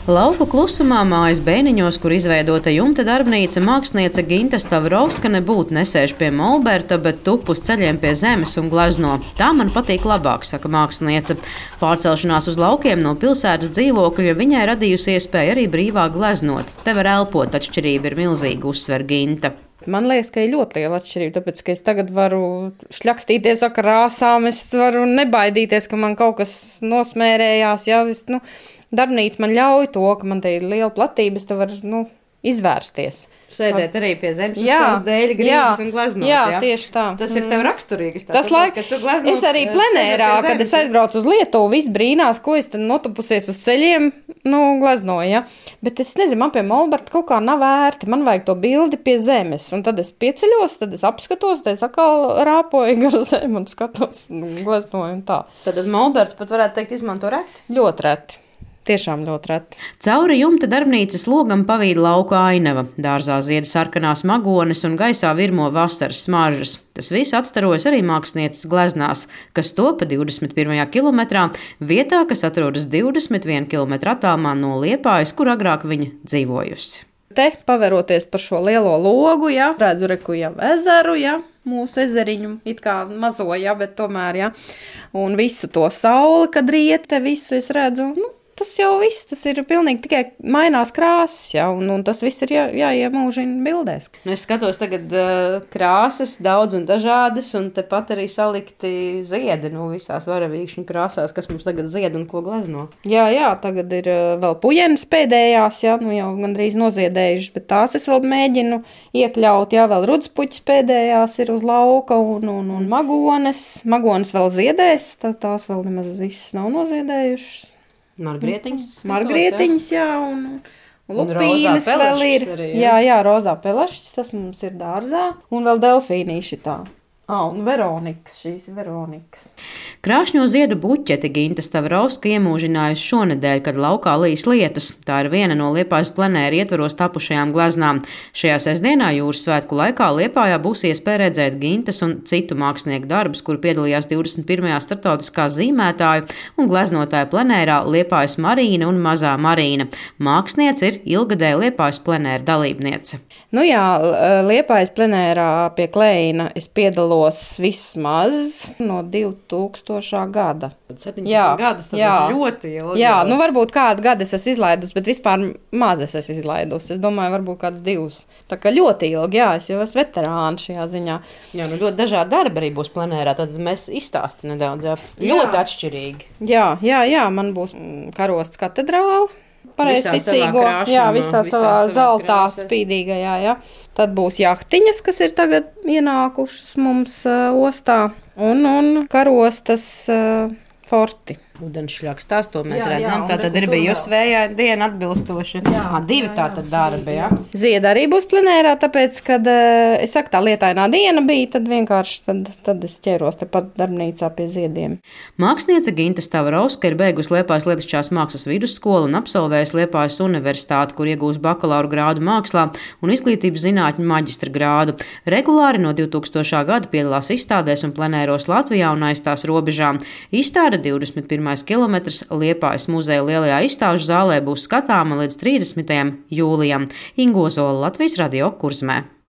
Lauku klusumā mājas Bēniņos, kur izveidota jumta darbnīca, māksliniece Ginta Stavrovska nebūtu nesēž pie molberta, bet tup uz ceļiem pie zemes un glezno. Tā man patīk labāk, saka māksliniece. Pārcelšanās uz laukiem no pilsētas dzīvokļa viņai radījusi iespēju arī brīvāk gleznot. Te var elpot, atšķirība ir milzīga, uzsver Ginta. Man liekas, ka ir ļoti liela atšķirība, tāpēc, ka es tagad varu šļakstīties ar krāsām, es varu nebaidīties, ka man kaut kas nosmērējās. Jā, darbnīca man ļauj to, ka man te ir liela platība, es te varu, izvērsties. Sēdēt arī pie zemes uz savas dēļa grīdas un gleznot. Jā, tieši tā. Tas ir tev raksturīgi. Es arī plenērā, kad es aizbraucu uz Lietuvu, viss brīnās, ko es tad notupusies uz ceļiem, gleznoju, ja. Bet es nezinu, man pie molberta kaut kā nav vērti, man vajag to bildi pie zemes. Un tad es pieceļos, tad es apskatos, tad es atkal rāpoju gar zemi un skatos, gleznoju un tā. Tad molberts pat varētu teikt izmanto reti? Ļoti reti. Tiešām ļoti reti. Cauri jumta darbnīcas logam pavīd lauka ainava. Dārzā zied sarkanās magones un gaisā virmo vasaras smaržas. Tas viss atstarojas arī mākslinieces gleznās, kas topa 21. kilometrā, vietā, kas atrodas 21 km attālumā no Liepājas, kur agrāk viņa dzīvojusi. Te, paveroties par šo lielo logu, redzu reku jau ezeru, mūsu ezeriņu, it kā mazo, bet tomēr, un visu to sauli, kad riet, te visu es redzu, tas jau viss, tas ir pilnīgi tikai mainās krāsas, un tas viss ir jāiemūžina bildēs. Es skatos tagad krāsas daudz un dažādas, un tepat arī salikti ziedi, visās varavīkšņu krāsās, kas mums tagad zied un ko glezno. Jā, tagad ir vēl pujenes pēdējās, jau gandrīz noziedējušas, bet tās es vēl mēģinu iekļaut, vēl rudspuķis pēdējās ir uz lauka, un magones vēl ziedēs, tās vēl nemaz visas nav noziedējušas. Margrietiņas, un lupīnes vēl ir. Arī, jā, rozā pelešķis, tas mums ir dārzā, un vēl delfīnīši tā. Un Veronikas, šīs Veronikas. Krāšņo ziedu buķeti Ginta Stavrovska iemūžinājusi šonedēļ, kad laukā līs lietus. Tā ir viena no Liepājas plenēra ietvaros tapušajām gleznām. Šajā sestdienā jūras svētku laikā Liepājā būs iespēja redzēt Gintas un citu mākslinieku darbus, kur piedalījās 21. starptautiskā zīmētāju un gleznotāju plenērā Liepājas Marīna un Mazā Marīna. Māksliniece ir ilgadēja Liepājas plenēra dalībniece. Liepājas plenērā pie Kleina es piedalos vismaz no 2000. gada. 17 gadus, tad ļoti ilgi. Jā, varbūt kādu gadu es esmu izlaidus, bet vispār maz es esmu izlaidus. Es domāju, varbūt kāds 2. Tā kā ļoti ilgi, es jau esmu veterāna šajā ziņā. Jā, ļoti dažādi darbi arī būs plenērā, tad mēs izstāsti nedaudz, ļoti atšķirīgi. Jā, man būs karosts katedrāli. Pareizticīgo, visā savā zeltā spīdīgajā, Tad būs jahtiņas, kas ir tagad ienākušas mums ostā, un karostas forti. Ūdenšļakstās, to mēs redzam. Tā tad ir bijusi vējaina diena atbilstoši. 2 tātad darbi, Zieda arī būs plenērā, tāpēc, kad es saku, tā lietainā diena bija, tad vienkārši tad es ķēros tepat darbnīcā pie ziediem. Māksliniece Ginta Stavrovska ir beigusi Liepājas Lietišķās mākslas vidusskolu un absolvējusi Liepājas universitāti, kur iegūs bakalaura grādu mākslā un izglītības zinātņu maģistra grādu. Regulāri no 2000. gada piedalās izstādēs un plenēros Latvijā un aiz tās robežām. Izstāde 21. kilometrs Liepājas muzeja lielajā izstāžu zālē būs skatāma līdz 30. jūlijam. Ingo Zola, Latvijas Radio, Kurzmē.